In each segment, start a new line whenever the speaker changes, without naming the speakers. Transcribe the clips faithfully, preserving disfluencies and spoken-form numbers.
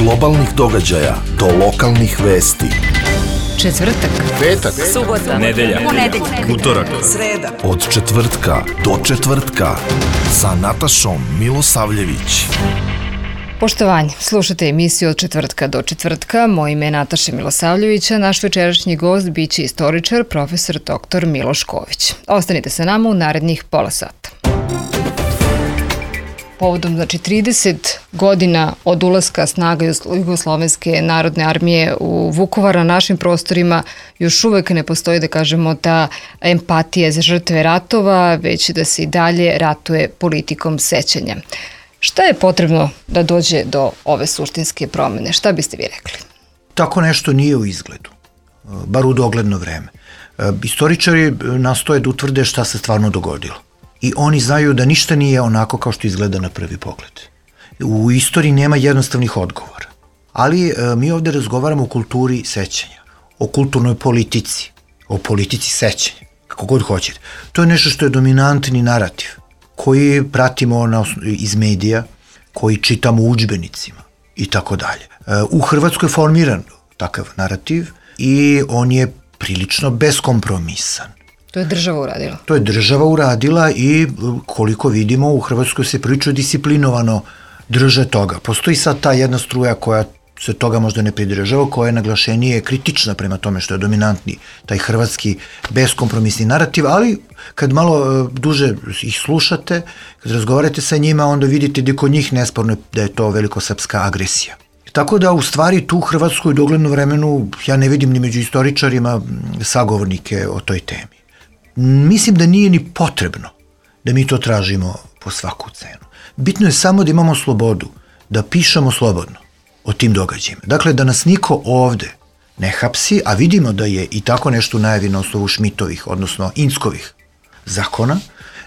globalnih događaja do lokalnih vesti.
Četvrtak,
petak,
subota,
nedelja,
ponedeljak,
utorak,
sreda.
Od četvrtka do četvrtka sa Natašom Milosavljević.
Poštovanje, slušate emisiju Od četvrtka do četvrtka. Moje ime je Nataša Milosavljević, a naš večerašnji gost biće istoričar, profesor doktor Miloš Ković. Ostanite sa nama u narednih pola sata. Povodom, znači, trideset godina od ulaska snaga Jugoslovenske narodne armije u Vukovar, na našim prostorima još uvek ne postoji, da kažemo, ta empatija za žrtve ratova, već da se i dalje ratuje politikom sećanja. Šta je potrebno da dođe do ove suštinske promene? Šta biste vi rekli?
Tako nešto nije u izgledu, bar u dogledno vreme. Istoričari nastoje da utvrde šta se stvarno dogodilo. I oni znaju da ništa nije onako kao što izgleda na prvi pogled. U istoriji nema jednostavnih odgovora. Ali mi ovde razgovaramo o kulturi sećanja, o kulturnoj politici, o politici sećanja, kako god hoćete. To je nešto što je dominantni narativ, koji pratimo na, iz medija, koji čitamo u udžbenicima i tako dalje. U Hrvatskoj je formiran takav narativ i on je prilično beskompromisan.
To je država uradila.
To je država uradila i koliko vidimo u Hrvatskoj se prilično disciplinovano drže toga. Postoji sad ta jedna struja koja se toga možda ne pridržava, koja je naglašenije kritična prema tome što je dominantni taj hrvatski beskompromisni narativ, ali kad malo duže ih slušate, kad razgovarate sa njima, onda vidite da kod njih nesporno da je to velikosrpska agresija. Tako da u stvari tu u Hrvatskoj u dogledno vremenu ja ne vidim ni među istoričarima sagovornike o toj temi. Mislim da nije ni potrebno da mi to tražimo po svaku cenu. Bitno je samo da imamo slobodu, da pišemo slobodno o tim događajima. Dakle, da nas niko ovde ne hapsi, a vidimo da je i tako nešto najavi na osnovu Šmitovih, odnosno Inckovih zakona.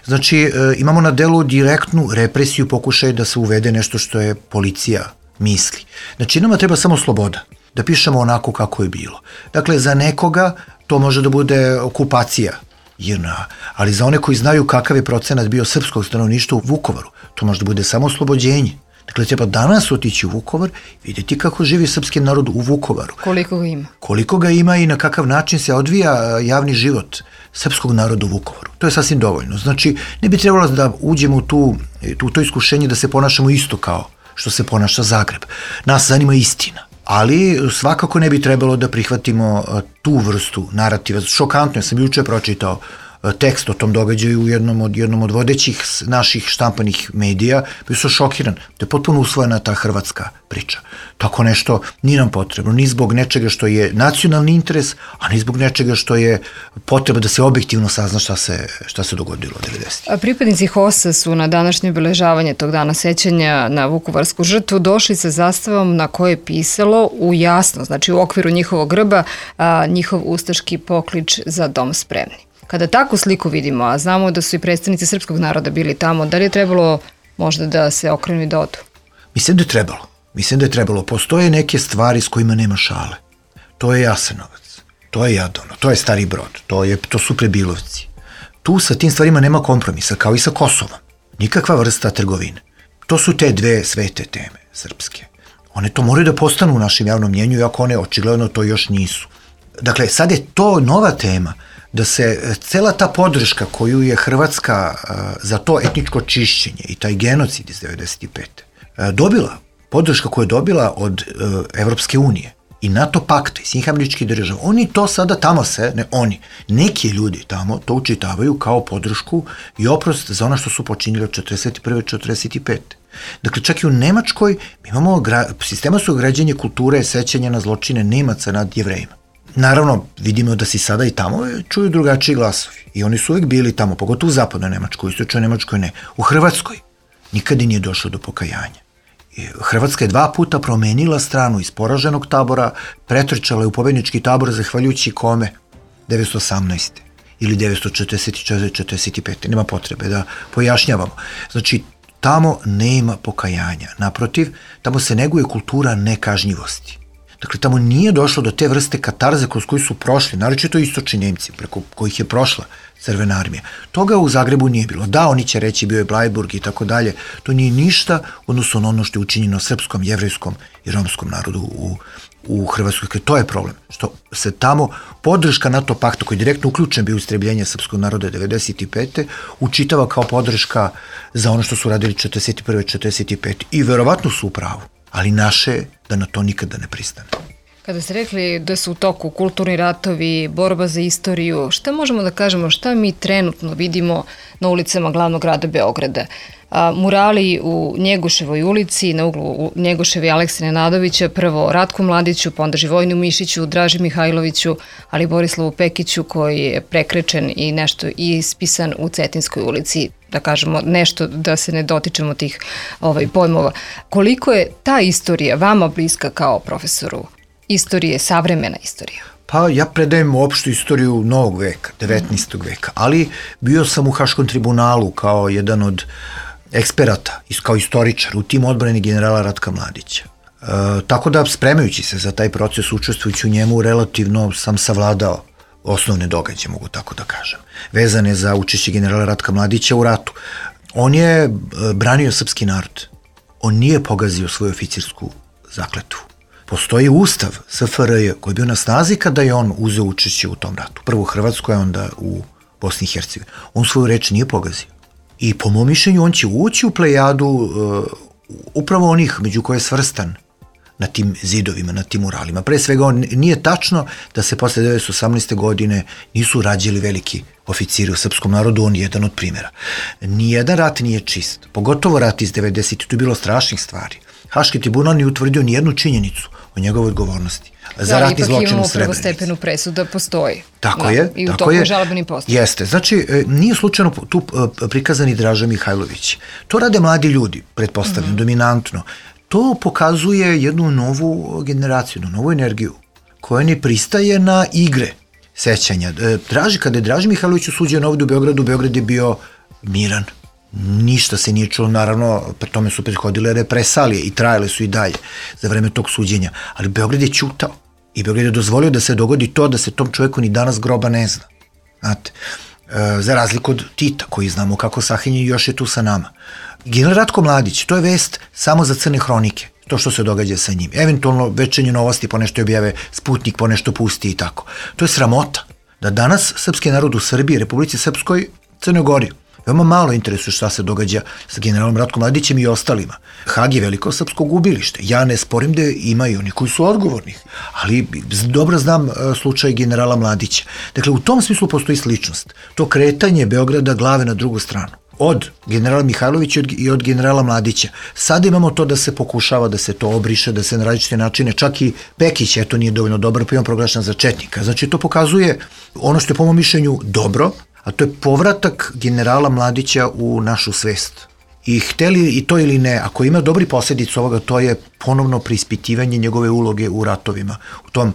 Znači, e, imamo na delu direktnu represiju, pokušaj da se uvede nešto što je policija misli. Znači, nama treba samo sloboda, da pišemo onako kako je bilo. Dakle, za nekoga to može da bude okupacija J N A, ali za one koji znaju kakav je procenat bio srpskog stanovništva u Vukovaru, to može da bude samo oslobođenje. Dakle, treba danas otići u Vukovar i vidjeti kako živi srpski narod u Vukovaru.
Koliko ga ima?
Koliko ga ima i na kakav način se odvija javni život srpskog naroda u Vukovaru. To je sasvim dovoljno. Znači, ne bi trebalo da uđemo u, tu, u to iskušenje da se ponašamo isto kao što se ponaša Zagreb. Nas zanima istina. Ali svakako ne bi trebalo da prihvatimo tu vrstu narativa. Šokantno, ja sam juče pročitao tekst o tom događaju u jednom od, jednom od vodećih naših štampanih medija, bio sam šokiran. To je potpuno usvojena ta hrvatska priča. Tako nešto nije nam potrebno, ni zbog nečega što je nacionalni interes, a ni zbog nečega što je potreba da se objektivno sazna šta se, šta se dogodilo u devedesetih.
A pripadnici H O S-a su na današnje obeležavanje tog dana sećanja na vukovarsku žrtvu došli sa zastavom na koje je pisalo u jasno, znači u okviru njihovog grba, a, njihov ustaški poklič za dom spremni. Kada takvu sliku vidimo, a znamo da su i predstavnici srpskog naroda bili tamo, da li je trebalo možda da se okrenu i da odu?
Mislim da je trebalo. Mislim da je trebalo. Postoje neke stvari s kojima nema šale. To je Jasenovac, to je Jadovno, to je Stari Brod, to, je, to su Prebilovci. Tu sa tim stvarima nema kompromisa, kao i sa Kosovom. Nikakva vrsta trgovine. To su te dve svete teme srpske. One to moraju da postanu u našem javnom mnjenju, iako one očigledno to još nisu. Dakle, sad je to nova tema, da se cela ta podrška koju je Hrvatska uh, za to etničko čišćenje i taj genocid iz devedeset pete Uh, dobila, podrška koju je dobila od uh, Evropske unije i NATO pakta i svih američkih država, oni to sada tamo se, ne oni, neki ljudi tamo to učitavaju kao podršku i oprost za ono što su počinili od četrdeset prve do četrdeset pete Dakle, čak i u Nemačkoj mi imamo gra, sistematsko građenje kulture sećanja na zločine Nemaca nad Jevrejima. Naravno, vidimo da se sada i tamo čuju drugačiji glasovi. I oni su uvijek bili tamo, pogotovo u zapadnoj Nemačkoj, u istočnoj Nemačkoj ne. U Hrvatskoj nikada nije došlo do pokajanja. Hrvatska je dva puta promenila stranu iz poraženog tabora, pretrčala je u pobednički tabor zahvaljujući kome? devetsto osamnaeste ili devetsto četrdeset četvrte četrdeset pete Nema potrebe da pojašnjavamo. Znači, tamo nema pokajanja. Naprotiv, tamo se neguje kultura nekažnjivosti. Dakle, tamo nije došlo do te vrste katarze kroz koju su prošli, naročito istočni Nemci, preko kojih je prošla Crvena armija. Toga u Zagrebu nije bilo. Da, oni će reći bio je Blajburg i tako dalje. To nije ništa odnosno na ono što je učinjeno srpskom, jevrejskom i romskom narodu u, u Hrvatskoj. To je problem. Što se tamo podrška NATO pakta koji je direktno uključen bio u istrebljenje srpskog naroda devedeset pete učitava kao podrška za ono što su radili četrdeset prve četrdeset pete I verovatno su u pravu. Ali naše je da na to nikada ne pristane.
Kada ste rekli da su u toku kulturni ratovi, borba za istoriju, šta možemo da kažemo, šta mi trenutno vidimo na ulicama glavnog grada Beograda? A, murali u Njegoševoj ulici, na uglu Njegoševe i Aleksine Nadovića, prvo Ratku Mladiću, pa onda Živojnu Mišiću, Draži Mihajloviću, ali Borislavu Pekiću koji je prekrečen i nešto ispisan u Cetinskoj ulici, da kažemo nešto da se ne dotičemo tih ovaj, pojmova. Koliko je ta istorija vama bliska kao profesoru? Istorije, savremena istorija?
Pa ja predajem opštu istoriju novog veka, devetnaestog veka, ali bio sam u Haškom tribunalu kao jedan od eksperata, kao istoričar u timu odbrane generala Ratka Mladića. E, tako da, spremajući se za taj proces, učestvujući u njemu, relativno sam savladao osnovne događaje, mogu tako da kažem, vezane za učešće generala Ratka Mladića u ratu. On je branio srpski narod. On nije pogazio svoju oficirsku zakletvu. Postoji ustav S F R J koji je bio na snazi kada je on uzeo učešće u tom ratu. Prvo u Hrvatskoj, a onda u Bosni i Hercegovini. On svoju reč nije pogazio. I po mom mišljenju on će ući u plejadu uh, upravo onih među koje je svrstan na tim zidovima, na tim muralima. Pre svega on, nije tačno da se posle devetnaest osamnaeste godine nisu rađali veliki oficiri u srpskom narodu, on je jedan od primjera. Nijedan rat nije čist, pogotovo rat iz devedesete. Tu je bilo strašnih stvari. Haški tribunal nije utvrdio nijednu činjenicu o njegovoj odgovornosti za ratni zločin u Srebrenici. Da, ipak imamo
prvostepenu presudu da postoji.
Tako je.
I u toku je žalbeni postupak.
Jeste. Znači, nije slučajno tu prikazani Draža Mihajlović. To rade mladi ljudi, pretpostavljam, mm-hmm. dominantno. To pokazuje jednu novu generaciju, novu energiju, koja ne pristaje na igre sećanja. Draži, kada je Draži Mihajlović osuđen ovdje u Beogradu, Beograd je bio miran. Ništa se nije čulo, naravno, pre tome su prethodile represalije i trajale su i dalje za vreme tog suđenja, ali Beograd je ćutao i Beograd je dozvolio da se dogodi to da se tom čovjeku ni danas groba ne zna. Znate, e, za razliku od Tita, koji znamo kako sahinje i još je tu sa nama. General Ratko Mladić, to je vest samo za crne hronike, to što se događa sa njim. Eventualno večernje novosti, ponešto objave Sputnik, ponešto pusti i tako. To je sramota da danas srpski narod u Srbiji, Republici Srpskoj, Crnoj Gori, veoma malo interesuje šta se događa sa generalom Ratkom Mladićem i ostalima. Hag je veliko srpsko gubilište. Ja ne sporim da ima i oni koji su odgovorni, ali dobro znam slučaj generala Mladića. Dakle, u tom smislu postoji sličnost. To kretanje Beograda glave na drugu stranu. Od generala Mihajlovića i od generala Mladića. Sada imamo to da se pokušava da se to obriše, da se na različite načine, čak i Pekić, eto nije dovoljno dobar, pa imam proglašen za četnika. Znači, to pokazuje ono što je po mom mišljenju dobro, a to je povratak generala Mladića u našu svest. I hteli i to ili ne, ako ima dobri posljedic ovoga, to je ponovno preispitivanje njegove uloge u ratovima, u tom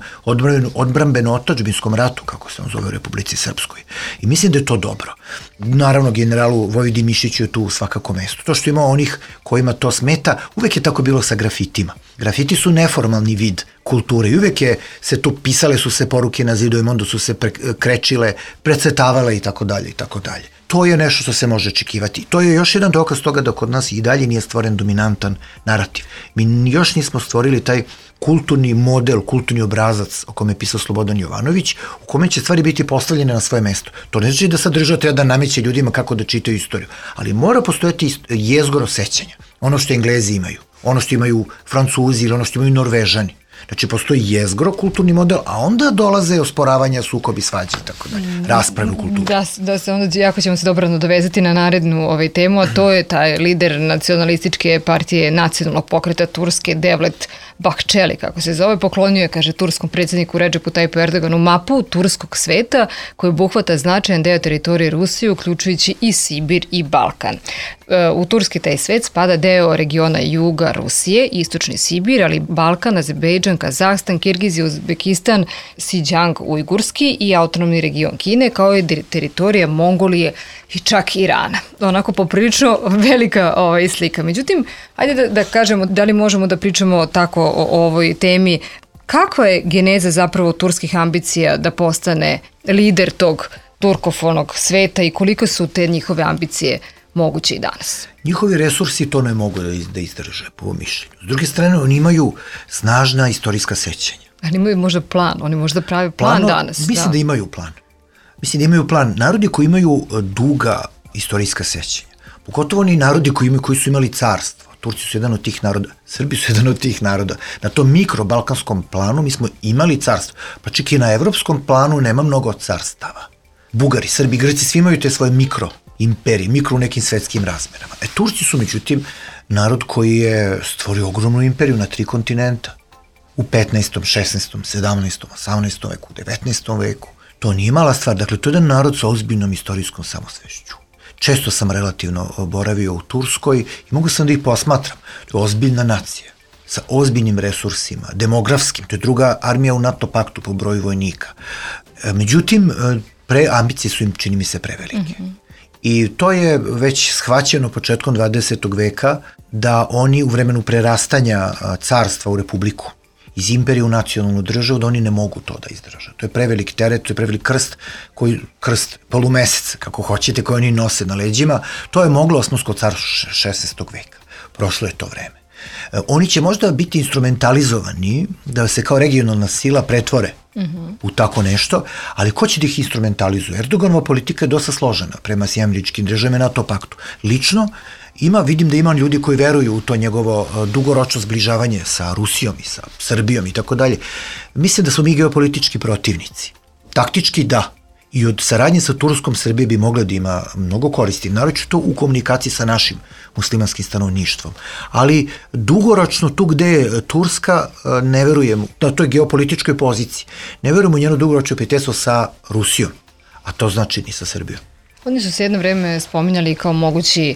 odbrambeno-otačbinskom ratu, kako se on zove u Republici Srpskoj. I mislim da je to dobro. Naravno, generalu Vojvodi Mišiću je tu svakako mesto. To što ima onih kojima to smeta, uvek je tako bilo sa grafitima. Grafiti su neformalni vid kulture i uvek je se tu pisale su se poruke na zidovima, onda su se krečile, precetavale i tako dalje i tako dalje. To je nešto što se može očekivati. To je još jedan dokaz toga da kod nas i dalje nije stvoren dominantan narativ. Mi još nismo stvorili taj kulturni model, kulturni obrazac o kome je pisao Slobodan Jovanović, u kome će stvari biti postavljene na svoje mesto. To ne znači da sad država treba da nameće ljudima kako da čitaju istoriju, ali mora postojati jezgoro sećanja. Ono što Englezi imaju, ono što imaju Francuzi ili ono što imaju Norvežani. Znači, postoji jezgro, kulturni model, a onda dolaze osporavanja, sukobi, svađe i tako dalje, rasprave u kulturi.
Da, da se onda, jako ćemo se dobro nadovezati na narednu ovaj temu, a to je taj lider nacionalističke partije nacionalnog pokreta Turske, Devlet Bahčeli, kako se zove, poklonio je, kaže, turskom predsjedniku Redžepu Tajipu Erdoganu mapu turskog sveta koji obuhvata značajan deo teritorije Rusije, uključujući i Sibir i Balkan. U turski taj svet spada deo regiona juga Rusije, istočni Sibir, ali Balkan, Azerbejdžan, Kazahstan, Kirgizija, Uzbekistan, Xinjiang, Ujgurski i autonomni region Kine, kao i teritorija Mongolije i čak Irana. Onako poprilično velika ovaj, slika. Međutim, ajde da, da kažemo, da li možemo da pričamo tako o, o ovoj temi Kakva je geneza zapravo turskih ambicija da postane lider tog turkofonog sveta i koliko su te njihove ambicije moguće i danas?
Njihovi resursi to ne mogu da izdrže, po mišljenju. S druge strane, oni imaju snažna istorijska sećanja.
Ali imaju možda plan, oni možda pravi plan Plano, danas.
Mislim
da.
da imaju plan. Mislim da imaju plan. Narodi koji imaju duga istorijska sećanja, pogotovo oni narodi koji, imaju, koji su imali carstvo. Turci su jedan od tih naroda, Srbi su jedan od tih naroda. Na tom mikrobalkanskom planu mi smo imali carstvo. Pa čak i na evropskom planu nema mnogo carstava. Bugari, Srbi, Grci, svi imaju te svoje mikro imperije, mikro u nekim svetskim razmerama. E, Turci su, međutim, narod koji je stvorio ogromnu imperiju na tri kontinenta. U petnaestom, šesnaestom, sedamnaestom, osamnaestom veku, devetnaestom veku. To nije mala stvar. Dakle, to je jedan narod sa ozbiljnom istorijskom samosvešću. Često sam relativno boravio u Turskoj i mogu sam da ih posmatram. To je ozbiljna nacija, sa ozbiljnim resursima, demografskim. To je druga armija u NATO paktu po broju vojnika. Međutim, pre, ambicije su im, čini mi se, prevelike. Mm-hmm. I to je već shvaćeno početkom dvadesetog veka da oni u vremenu prerastanja carstva u republiku iz imperije u nacionalnu državu, da oni ne mogu to da izdrže. To je prevelik teret, to je prevelik krst, koji, krst polumesec, kako hoćete, koji oni nose na leđima. To je moglo Osmansko carstvo šesnaestog veka. Prošlo je to vreme. Oni će možda biti instrumentalizovani da se kao regionalna sila pretvore mm-hmm. u tako nešto, ali ko će da ih instrumentalizuje? Erdoganova politika je dosta složena prema Sjedinjenim Američkim Državama i NATO paktu. Lično, ima, vidim da ima ljudi koji veruju u to njegovo dugoročno zbližavanje sa Rusijom i sa Srbijom i tako dalje. Mislim da smo mi geopolitički protivnici. Taktički da. I od saradnje sa Turskom Srbije bi mogla da ima mnogo koristi, naročito u komunikaciji sa našim muslimanskim stanovništvom. Ali dugoročno tu gde je Turska, ne verujem, na toj geopolitičkoj poziciji, ne verujem u njeno dugoročno prijateljstvo sa Rusijom, a to znači ni sa Srbijom.
Oni su se jedno vreme spominjali kao mogući,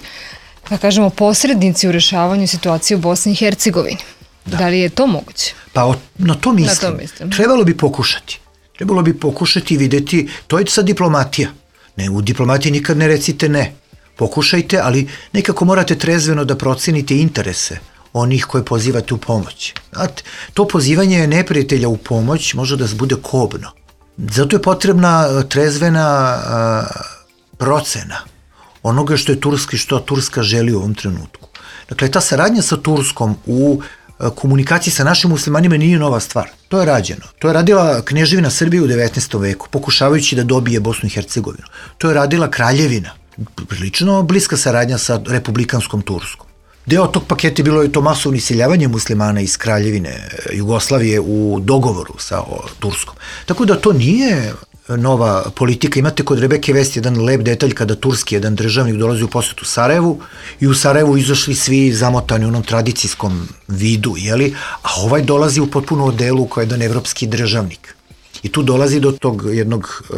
da kažemo, posrednici u rešavanju situacije u Bosni i Hercegovini. Da, da li je to moguće?
Pa o, na to mislim.
Na to mislim.
Trebalo bi pokušati. Trebalo bi pokušati videti, to je sad diplomatija. Ne, u diplomatiji nikad ne recite ne. Pokušajte, ali nekako morate trezveno da procenite interese onih koje pozivate u pomoć. Znate, to pozivanje neprijatelja u pomoć može da bude kobno. Zato je potrebna trezvena a, procena onoga što je Turska i što Turska želi u ovom trenutku. Dakle, ta saradnja sa Turskom u komunikaciji sa našim muslimanima nije nova stvar. To je rađeno. To je radila Kneževina Srbije u devetnaestom veku, pokušavajući da dobije Bosnu i Hercegovinu. To je radila Kraljevina, prilično bliska saradnja sa republikanskom Turskom. Deo tog paketa je bilo je to masovno iseljavanje muslimana iz Kraljevine Jugoslavije u dogovoru sa o, Turskom. Tako da to nije nova politika. Imate kod Rebeke Vest jedan lep detalj kada turski jedan državnik dolazi u posetu Sarajevu i u Sarajevu izašli svi zamotani u onom tradicijskom vidu, jeli? A ovaj dolazi u potpuno odelu kao jedan evropski državnik. I tu dolazi do tog jednog uh,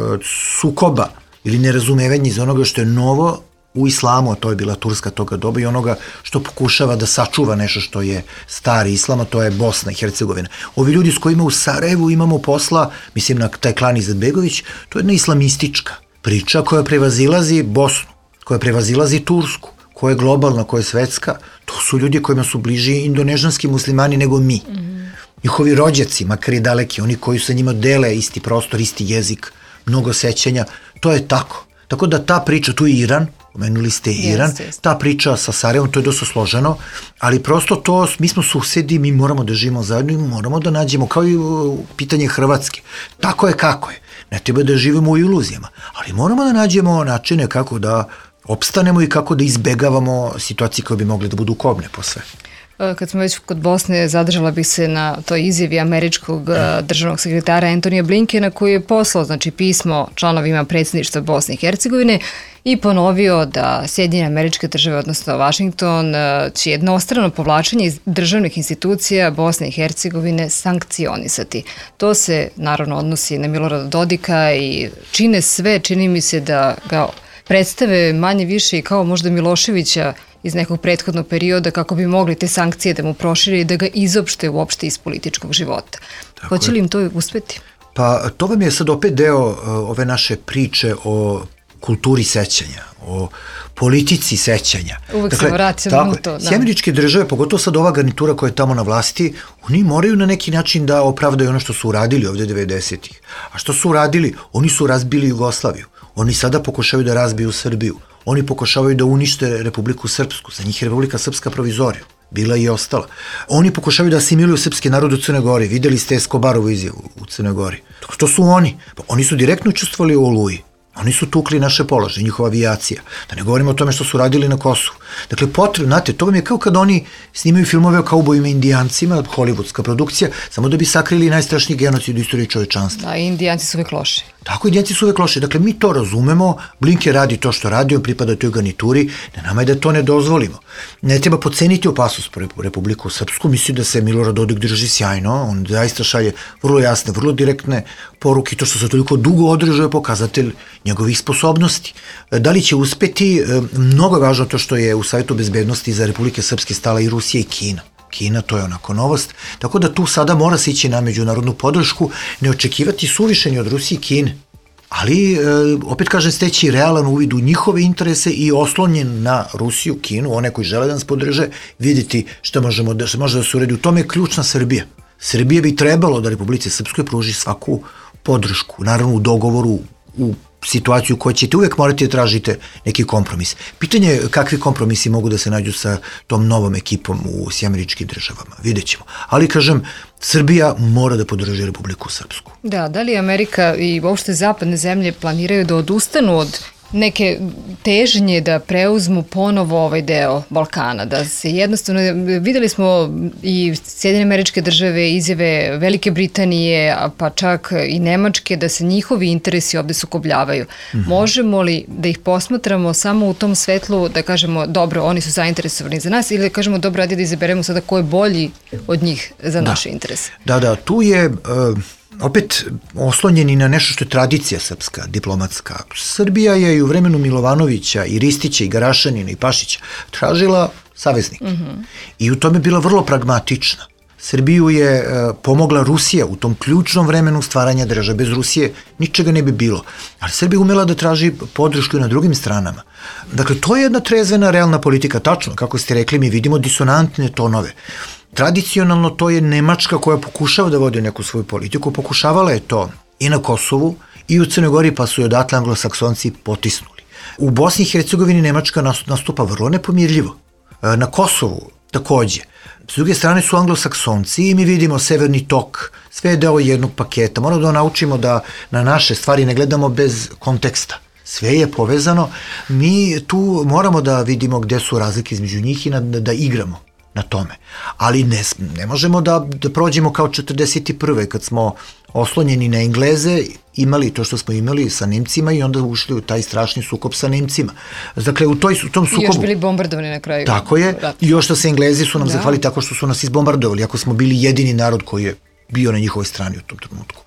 sukoba ili nerazumevanja iz onoga što je novo u islamu, a to je bila Turska toga doba, i onoga što pokušava da sačuva nešto što je stari islam, a to je Bosna i Hercegovina. Ovi ljudi s kojima u Sarajevu imamo posla, mislim na taj klan Izetbegović, to je jedna islamistička priča koja prevazilazi Bosnu, koja prevazilazi Tursku, koja je globalna, koja je svetska. To su ljudi kojima su bliži indonežanski muslimani nego mi. Mm-hmm. Njihovi rođaci, makar i daleki, oni koji sa njima dele isti prostor, isti jezik, mnogo sećanja, to je tako. Tako da ta priča, tu je Iran, pomenuli ste Iran, yes, yes. Ta priča sa Sarajevom, to je dosta složeno, ali prosto to, mi smo susedi, mi moramo da živimo zajedno i moramo da nađemo, kao i pitanje Hrvatske. Tako je kako je. Ne treba da živimo u iluzijama, ali moramo da nađemo načine kako da opstanemo i kako da izbegavamo situacije koje bi mogle da budu kobne po sve.
Kad smo već kod Bosne, zadržala bih se na toj izjavi američkog državnog sekretara Antonija Blinkena, koji je poslao, znači, pismo članovima predsjedništva Bosne i Hercegovine i ponovio da Sjedinjene Američke Države, odnosno Vašington, će jednostrano povlačenje iz državnih institucija Bosne i Hercegovine sankcionisati. To se naravno odnosi na Milorada Dodika i čine sve, čini mi se da ga predstave manje više i kao možda Miloševića iz nekog prethodnog perioda, kako bi mogli te sankcije da mu prošire i da ga izopšte uopšte iz političkog života. Hoće li im to uspeti?
Pa to vam je sad opet deo uh, ove naše priče o kulturi sećanja, o politici sećanja.
Uvek dakle, se vraćamo na to. Da.
Američke države, pogotovo sad ova garnitura koja je tamo na vlasti, oni moraju na neki način da opravdaju ono što su uradili ovde devedesetih. A što su uradili? Oni su razbili Jugoslaviju. Oni sada pokušavaju da razbiju Srbiju. Oni pokušavaju da unište Republiku Srpsku. Za njih je Republika Srpska provizorija. Bila i ostala. Oni pokušavaju da asimiluju srpski narod u Crnoj Gori. Videli ste Escobarovu izjavu u Crnoj Gori. To su oni. Oni su direktno učestvovali u Oluji. Oni su tukli naše položaje, njihova avijacija. Da ne govorimo o tome što su radili na Kosovu. Dakle, potrebno, znate, to vam je kao kad oni snimaju filmove o kaubojima i indijancima, hollywoodska produkcija, samo da bi sakrili najstrašniji genocid u istoriji čovečanstva.
Da, indijanci su uvek loši.
Tako, indijanci su uvek loši. Dakle, mi to razumemo, Blinke radi to što radi, on pripada toj garnituri, na nama je da to ne dozvolimo. Ne treba podceniti opasnost po Republiku Srpsku, misli da se Milorad Dodik drži sjajno, on zaista šalje vrlo jasne, vrlo direktne poruke, to što se toliko dugo održuje pokazatelj njegovih sposobnosti. Da li će uspeti, mnogo je važno to što je u Savjetu bezbednosti za Republike Srpske stala i Rusija i Kina. Kina, to je onako novost, tako da tu sada mora se ići na međunarodnu podršku, ne očekivati suvišenje od Rusije i Kine, ali e, opet kažem steći realan uvid u njihove interese i oslonjen na Rusiju, Kinu, one koji žele da nas podrže, vidjeti šta možemo da, šta može da se uredi. U tome je ključna Srbija. Srbija bi trebalo da Republici Srpskoj pruži svaku podršku, naravno u dogovoru, u situaciju u kojoj ćete uvek morati da tražite neki kompromis. Pitanje je kakvi kompromisi mogu da se nađu sa tom novom ekipom u Američkim državama. Vidjet ćemo. Ali, kažem, Srbija mora da podrži Republiku Srpsku.
Da, da li Amerika i uopšte zapadne zemlje planiraju da odustanu od neke težnje da preuzmu ponovo ovaj deo Balkana, da se jednostavno, videli smo i Sjedinjene Američke Države, izjave Velike Britanije, pa čak i Nemačke, da se njihovi interesi ovde sukobljavaju. Mm-hmm. Možemo li da ih posmatramo samo u tom svetlu, da kažemo, dobro, oni su zainteresovani za nas, ili da kažemo, dobro, ajde da izaberemo sada ko je bolji od njih za naše
da.
interese?
Da, da, tu je... Uh... opet oslonjeni na nešto što je tradicija srpska, diplomatska. Srbija je i u vremenu Milovanovića i Ristića i Garašanina i Pašića tražila saveznike. Mm-hmm. I u tome bila vrlo pragmatična. Srbiju je e, pomogla Rusija u tom ključnom vremenu stvaranja države. Bez Rusije ničega ne bi bilo. Ali Srbija umela da traži podršku i na drugim stranama. Dakle, to je jedna trezvena, realna politika. Tačno, kako ste rekli, mi vidimo disonantne tonove. Tradicionalno to je Nemačka koja pokušava da vodi neku svoju politiku, pokušavala je to i na Kosovu i u Crnoj Gori, pa su je odatle anglosaksonci potisnuli. U Bosni i Hercegovini Nemačka nastupa vrlo nepomirljivo. Na Kosovu takođe. S druge strane su anglosaksonci i mi vidimo Severni tok, sve je deo jednog paketa. Moramo da naučimo da na naše stvari ne gledamo bez konteksta. Sve je povezano. Mi tu moramo da vidimo gde su razlike između njih i da, da igramo na tome. Ali ne, ne možemo da, da prođemo kao četrdeset prve kad smo oslonjeni na Engleze, imali to što smo imali sa Nemcima i onda ušli u taj strašni sukob sa Nemcima. Dakle, u, toj, u tom sukobu... I
još bili bombardovani na kraju.
Tako je. Rat. I još što se Englezi su nam
da. zahvali
tako što su nas izbombardovali, ako smo bili jedini narod koji je bio na njihovoj strani u tom trenutku.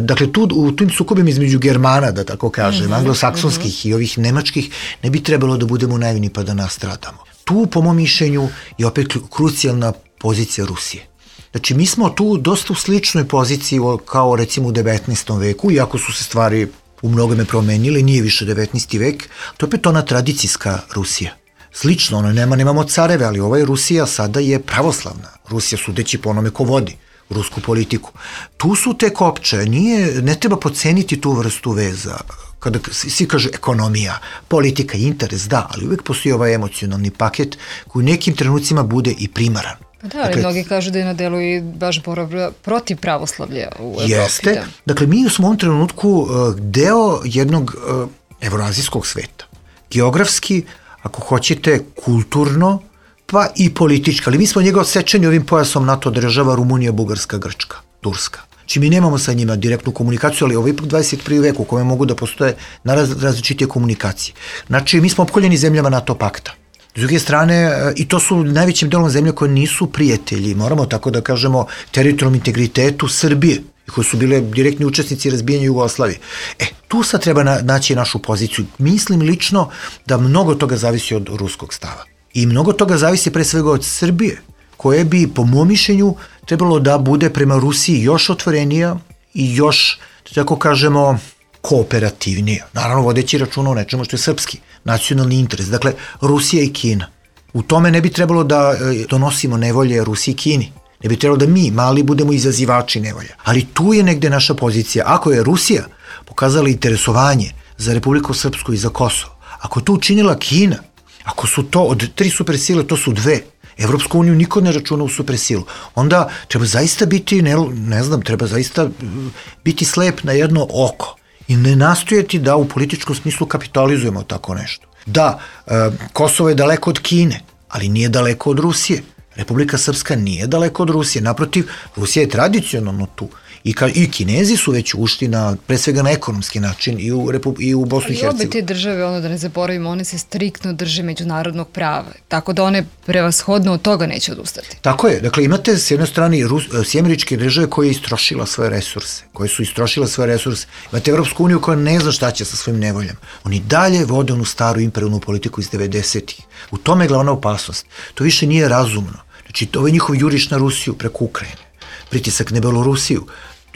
Dakle, tu, u tim sukobima između Germana, da tako kažem, mm-hmm. anglosaksonskih mm-hmm. i ovih nemačkih, ne bi trebalo da budemo naivni pa da nastradamo. Tu, po mom mišljenju, je opet krucijalna pozicija Rusije. Znači, mi smo tu dosta u sličnoj poziciji kao recimo u devetnaestom veku, iako su se stvari u mnogome promenile, nije više devetnaesti vek, to je opet ona tradicijska Rusija. Slično, ono, nema, nemamo careve, ali ova Rusija sada je pravoslavna. Rusija sudeći po onome ko vodi rusku politiku. Tu su te kopče, nije, ne treba podceniti tu vrstu veza. Kada svi kažu ekonomija, politika, interes, da, ali uvek postoji ovaj emocionalni paket koji u nekim trenucima bude i primaran.
Da, ali dakle, mnogi kažu da je na delu i baš borba protiv pravoslavlja u Evropi.
Jeste. Da. Dakle, mi smo u ovom trenutku deo jednog evroazijskog sveta. Geografski, ako hoćete, kulturno, pa i politički. Ali mi smo njega odsečeni ovim pojasom NATO država Rumunija, Bugarska, Grčka, Turska. Znači mi nemamo sa njima direktnu komunikaciju, ali ovo je ipak dvadeset prvi vek u kome mogu da postoje različite komunikacije. Znači mi smo opkoljeni zemljama NATO pakta. S druge strane, i to su najvećim delom zemlje koje nisu prijatelji, moramo tako da kažemo, teritorijalnom integritetu Srbije, koji su bile direktni učesnici razbijanja Jugoslavije. E, tu sad treba na, naći našu poziciju. Mislim lično da mnogo toga zavisi od ruskog stava. I mnogo toga zavisi pre svega od Srbije, koje bi, po mom mišljenju, trebalo da bude prema Rusiji još otvorenija i još, tako kažemo, kooperativnija, naravno vodeći računa o nečemu što je srpski, nacionalni interes, dakle Rusija i Kina. U tome ne bi trebalo da donosimo nevolje Rusiji i Kini, ne bi trebalo da mi, mali, budemo izazivači nevolja. Ali tu je negde naša pozicija. Ako je Rusija pokazala interesovanje za Republiku Srpsku i za Kosovo, ako je to učinila Kina, ako su to od tri supersile, to su dve, Evropsku uniju niko ne računa u supersilu, onda treba zaista biti, ne, ne znam, treba zaista biti slep na jedno oko i ne nastojati da u političkom smislu kapitalizujemo tako nešto. Da, e, Kosovo je daleko od Kine, ali nije daleko od Rusije. Republika Srpska nije daleko od Rusije, naprotiv, Rusija je tradicionalno tu. I, ka, i Kinezi su već ušli na, pre svega na ekonomski način i u, Repu, i u Bosnu i Hercegovini.
Ali obe te države, ono da ne zaboravimo, one se striktno drže međunarodnog prava, tako da one prevashodno od toga neće odustati.
Tako je, dakle imate s jedne strane Rus, sjemeričke države koje je istrošila svoje resurse, koje su istrošile svoje resurse, imate Evropsku uniju koja ne zna šta će sa svojim nevoljama. Oni dalje vode onu staru imperijalnu politiku iz devedesetih. U tome je glavna opasnost. To više nije razumno. Znači, to je njihov juriš na Rusiju preko Ukrajine, pritisak na Belorusiju,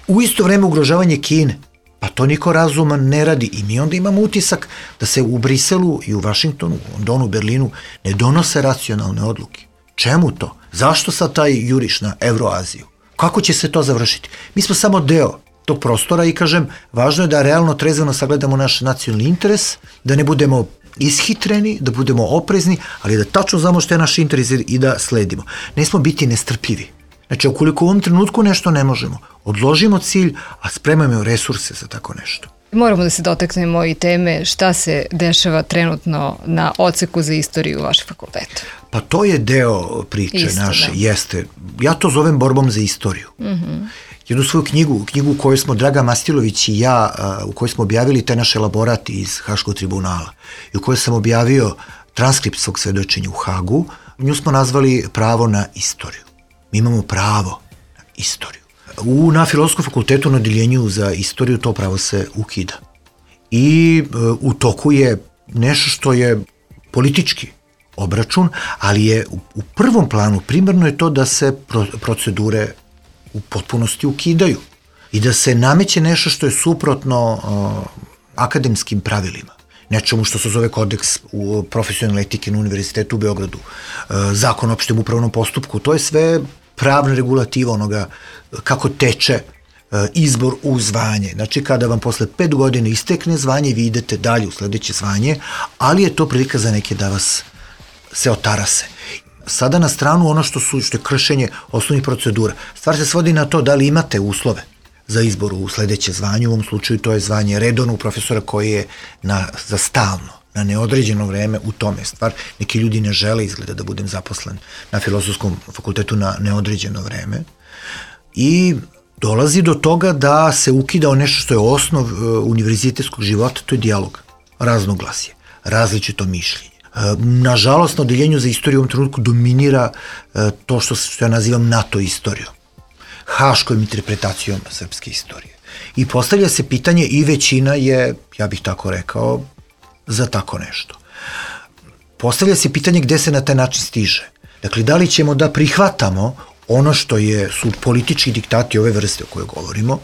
u isto vreme ugrožavanje Kine, pa to niko razuman ne radi i mi onda imamo utisak da se u Briselu i u Vašingtonu, u Londonu, Berlinu ne donose racionalne odluke. Čemu to? Zašto sad taj juriš na Evroaziju? Kako će se to završiti? Mi smo samo deo tog prostora i kažem, važno je da realno trezveno sagledamo naš nacionalni interes, da ne budemo ishitreni, da budemo oprezni, ali da tačno znamo što je naš interes i da sledimo. Ne smo biti nestrpljivi. Znači, ukoliko u ovom trenutku nešto ne možemo, odložimo cilj, a spremajmo resurse za tako nešto.
Moramo da se dotaknemo i teme šta se dešava trenutno na odseku za istoriju vašeg fakulteta.
Pa to je deo priče Isto, naše, da. Jeste. Ja to zovem borbom za istoriju. Mm-hmm. Jednu svoju knjigu, knjigu u kojoj smo Draga Mastilović i ja, u kojoj smo objavili taj naš elaborat iz Haškog tribunala i u kojoj sam objavio transkript svog svedočenja u Hagu, nju smo nazvali Pravo na istoriju. Mi imamo pravo na istoriju. U, na Filozofskom fakultetu na odeljenju za istoriju to pravo se ukida. I e, u toku je nešto što je politički obračun, ali je u, u prvom planu primarno je to da se pro, procedure u potpunosti ukidaju i da se nameće nešto što je suprotno e, akademskim pravilima. Nečemu što se zove kodeks u profesionalne etike na Univerzitetu u Beogradu, zakon o opštem upravnom postupku, to je sve pravna regulativa onoga kako teče izbor u zvanje. Znači, kada vam posle pet godina istekne zvanje, vi idete dalje u sledeće zvanje, ali je to prilika za neke da vas se otarase. Sada na stranu ono što su što je kršenje osnovnih procedura. Stvar se svodi na to da li imate uslove za izbor u sledeće zvanje, u ovom slučaju to je zvanje redovnog profesora koji je na, za stalno, na neodređeno vreme, u tome stvar. Neki ljudi ne žele izgleda da budem zaposlen na Filozofskom fakultetu na neodređeno vreme i dolazi do toga da se ukida nešto što je osnov uh, univerzitetskog života, to je dijalog, raznoglasje, različito mišljenje. Uh, nažalost, na odeljenju za istoriju u ovom trenutku dominira uh, to što, što ja nazivam NATO istorijom, haškom interpretacijom srpske istorije. I postavlja se pitanje i većina je, ja bih tako rekao, za tako nešto. Postavlja se pitanje gde se na taj način stiže. Dakle, da li ćemo da prihvatamo ono što je, su politički diktati ove vrste o kojoj govorimo,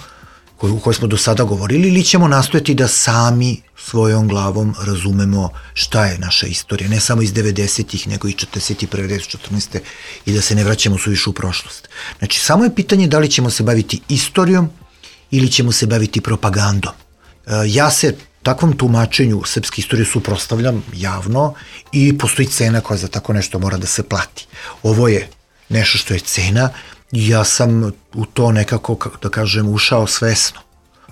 koje, u kojoj smo do sada govorili, ili ćemo nastojati da sami svojom glavom razumemo šta je naša istorija, ne samo iz devedesetih, nego i četrdeset prve, četrnaeste i da se ne vraćamo suviše u prošlost. Znači, samo je pitanje da li ćemo se baviti istorijom ili ćemo se baviti propagandom. E, ja se takvom tumačenju srpske istorije suprotstavljam javno i postoji cena koja za tako nešto mora da se plati. Ovo je nešto što je cena i ja sam u to nekako, da kažem, ušao svesno.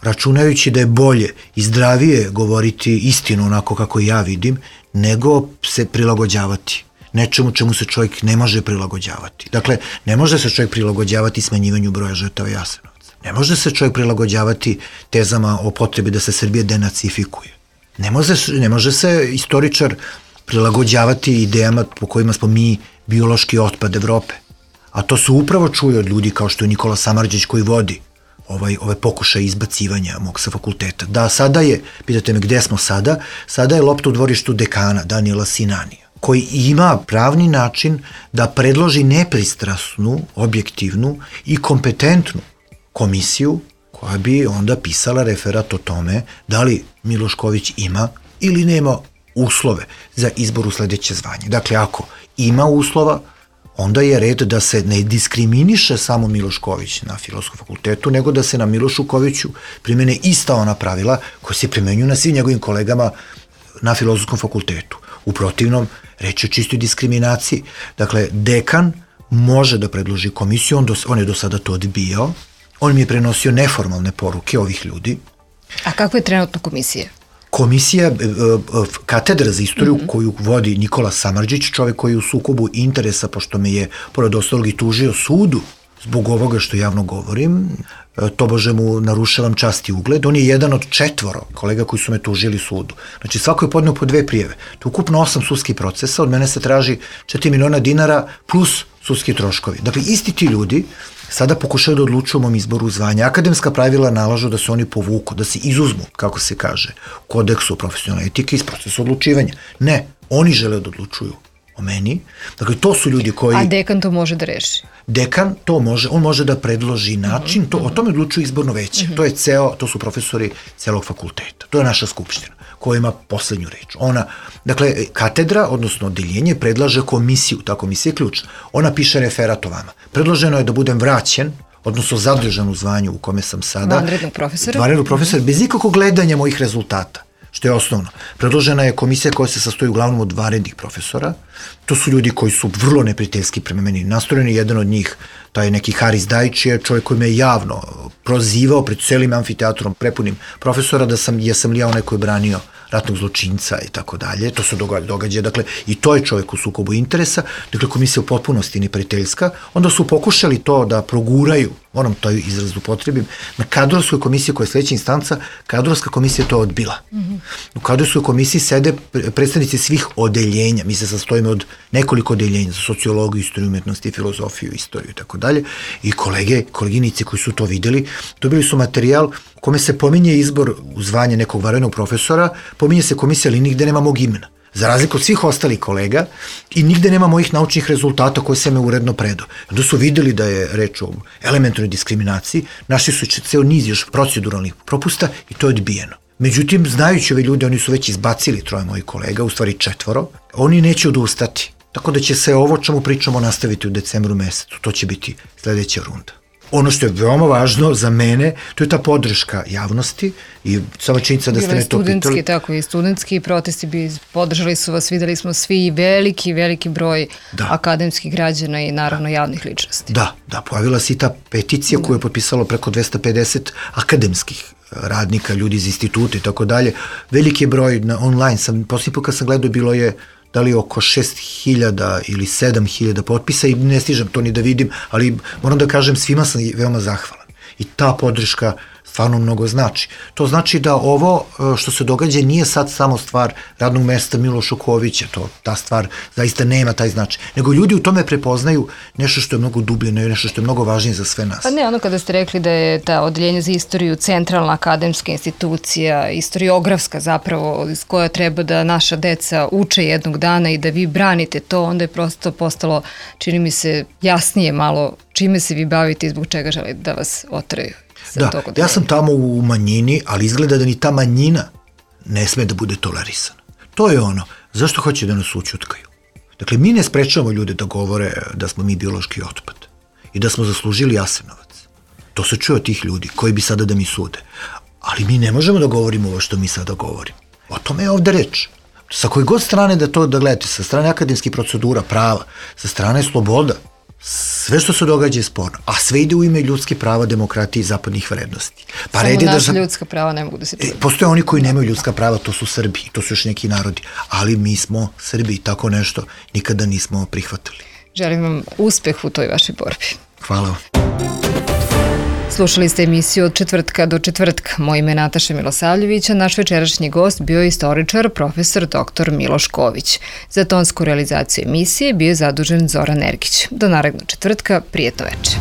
Računajući da je bolje i zdravije govoriti istinu onako kako ja vidim, nego se prilagođavati nečemu čemu se čovjek ne može prilagođavati. Dakle, ne može se čovjek prilagođavati smanjivanju broja žrtava Jasenovca. Ne može se čovjek prilagođavati tezama o potrebi da se Srbija denacifikuje. Ne može, ne može se istoričar prilagođavati idejama po kojima smo mi biološki otpad Evrope. A to se upravo čuje od ljudi kao što je Nikola Samardžić koji vodi ovaj, ove pokušaje izbacivanja mog sa fakulteta. Da, sada je, pitate me gde smo sada, sada je lopta u dvorištu dekana Daniela Sinanija, koji ima pravni način da predloži nepristrasnu, objektivnu i kompetentnu komisiju koja bi onda pisala referat o tome da li Milošković ima ili nema uslove za izbor u sledeće zvanje. Dakle, ako ima uslova, onda je red da se ne diskriminiše samo Milošković na Filozofskom fakultetu, nego da se na Miloškoviću primene ista ona pravila koja se primenjuju na svim njegovim kolegama na Filozofskom fakultetu. U protivnom, reč je o čistoj diskriminaciji. Dakle, dekan može da predloži komisiju, on, do, on je do sada to odbijao, on mi je prenosio neformalne poruke ovih ljudi.
A kako je trenutno komisija?
Komisija, katedra za istoriju mm-hmm. koju vodi Nikola Samardžić, čovek koji je u sukobu interesa, pošto me je, pored ostalog, i tužio sudu zbog ovoga što javno govorim, tobože mu narušavam čast i ugled. On je jedan od četvoro kolega koji su me tužili sudu. Znači, svako je podneo po dve prijeve. To je ukupno osam sudskih procesa, od mene se traži četiri miliona dinara plus sudski troškovi. Dakle, isti ti ljudi sada pokušaju da odlučuju o mom izboru zvanja. Akademska pravila nalažu da se oni povuku, da se izuzmu, kako se kaže, u kodeksu profesionalne etike iz procesa odlučivanja. Ne, oni žele da odlučuju o meni. Dakle, to su ljudi koji...
A dekan to može da reši?
Dekan to može, on može da predloži način, to, o tome odlučuje izborno veće. To je ceo, to su profesori celog fakulteta. To je naša skupština koja ima poslednju reč. Ona, dakle, katedra, odnosno odeljenje, predlaže komisiju, ta komisija je ključna. Ona piše referat o vama. Predloženo je da budem vraćen, odnosno zadržan u zvanju u kome sam sada.
Vanrednog profesora?
Vanrednog profesora, bez ikakvog gledanja mojih rezultata, što je osnovno. Predložena je komisija koja se sastoji uglavnom od vanrednih profesora. To su ljudi koji su vrlo neprijateljski prema meni nastrojeni. Jedan od njih, taj neki Haris Dajić, je čovjek koji me javno prozivao pred celim amfiteatrom prepunim profesora da sam, ja sam li ja onaj koji je branio ratnog zločinca i tako dalje. To se događa. Dakle, i to je čovjek u sukobu interesa. Dakle, komisija u potpunosti neprijateljska. Onda su pokušali to da proguraju, moram to izraz upotrebim, na kadrovskoj komisiji koja je sledeća instanca, kadrovska komisija to odbila. Mm-hmm. U kadrovskoj komisiji sede predstavnici svih odeljenja. Mi se sastojimo od nekoliko odeljenja za sociologiju, istoriju umetnosti, filozofiju, istoriju i tako dalje. I kolege, koleginice koji su to videli, dobili su materijal u kome se pominje izbor u zvanje nekog vanrednog profesora, pominje se komisija, ali nigde nema mog imena. Za razliku od svih ostalih kolega, i nigde nema mojih naučnih rezultata koje sam me uredno predao. Onda su videli da je reč o elementarnoj diskriminaciji, našli su ceo niz još proceduralnih propusta i to je odbijeno. Međutim, znajući ove ljude, oni su već izbacili troje mojih kolega, u stvari četvoro, oni neće odustati. Tako da će se ovo čemu pričamo nastaviti u decembru mesecu. To će biti sledeća runda. Ono što je veoma važno za mene, to je ta podrška javnosti i sama činjenica da ste me to pitali.
Studentski, tako i studentski protesti bi podržali su vas, videli smo svi veliki, veliki broj da. akademskih građana i naravno javnih ličnosti.
Da, da, pojavila se i ta peticija da. koju je potpisalo preko dvesta pedeset akademskih radnika, ljudi iz instituta i tako dalje. Veliki broj na online, sam, posljednji put kad sam gledao bilo je da li oko šest hiljada ili sedam hiljada potpisa i ne stižem to ni da vidim, ali moram da kažem svima sam veoma zahvalan. I ta podrška stvarno mnogo znači. To znači da ovo što se događa nije sad samo stvar radnog mesta Miloša Kovića, to, ta stvar zaista nema taj značaj, nego ljudi u tome prepoznaju nešto što je mnogo dublje, nešto što je mnogo važnije za sve nas.
Pa ne, ono kada ste rekli da je ta odeljenje za istoriju centralna akademska institucija, istoriografska zapravo, iz koja treba da naša deca uče jednog dana i da vi branite to, onda je prosto postalo, čini mi se, jasnije malo čime se vi bavite i zbog čega želite da vas otraju.
Da, ja sam tamo u manjini, ali izgleda da ni ta manjina ne sme da bude tolerisana. To je ono, zašto hoće da nas ućutkaju? Dakle, mi ne sprečavamo ljude da govore da smo mi biološki otpad i da smo zaslužili Jasenovac. To se čuje od tih ljudi koji bi sada da mi sude. Ali mi ne možemo da govorimo ovo što mi sada govorimo. O tome je ovde reč. Sa koje god strane da to da gledate, sa strane akademskih procedura, prava, sa strane sloboda, sve što se događa je sporno, a sve ide u ime ljudske prava, demokratije i zapadnih vrednosti.
Pa samo naša da za... ljudska prava ne mogu da se čuje.
Postoje oni koji nemaju ljudska prava, to su Srbi, to su još neki narodi, ali mi smo Srbi, tako nešto nikada nismo prihvatili.
Želim vam uspeh u toj vašoj borbi.
Hvala vam.
Slušali ste emisiju od četvrtka do četvrtka. Moje ime je Nataša Milosavljević, a naš večerašnji gost bio je istoričar profesor doktor Miloš Ković. Za tonsku realizaciju emisije bio je zadužen Zoran Ergić. Do narednog četvrtka, prijetno veče.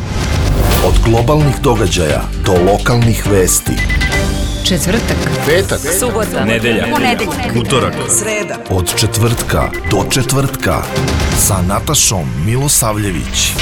Od globalnih događaja do lokalnih vesti.
Četvrtak,
petak,
subota,
nedelja,
ponedeljak,
utorak, sreda. Od četvrtka do četvrtka sa Natašom Milosavljević.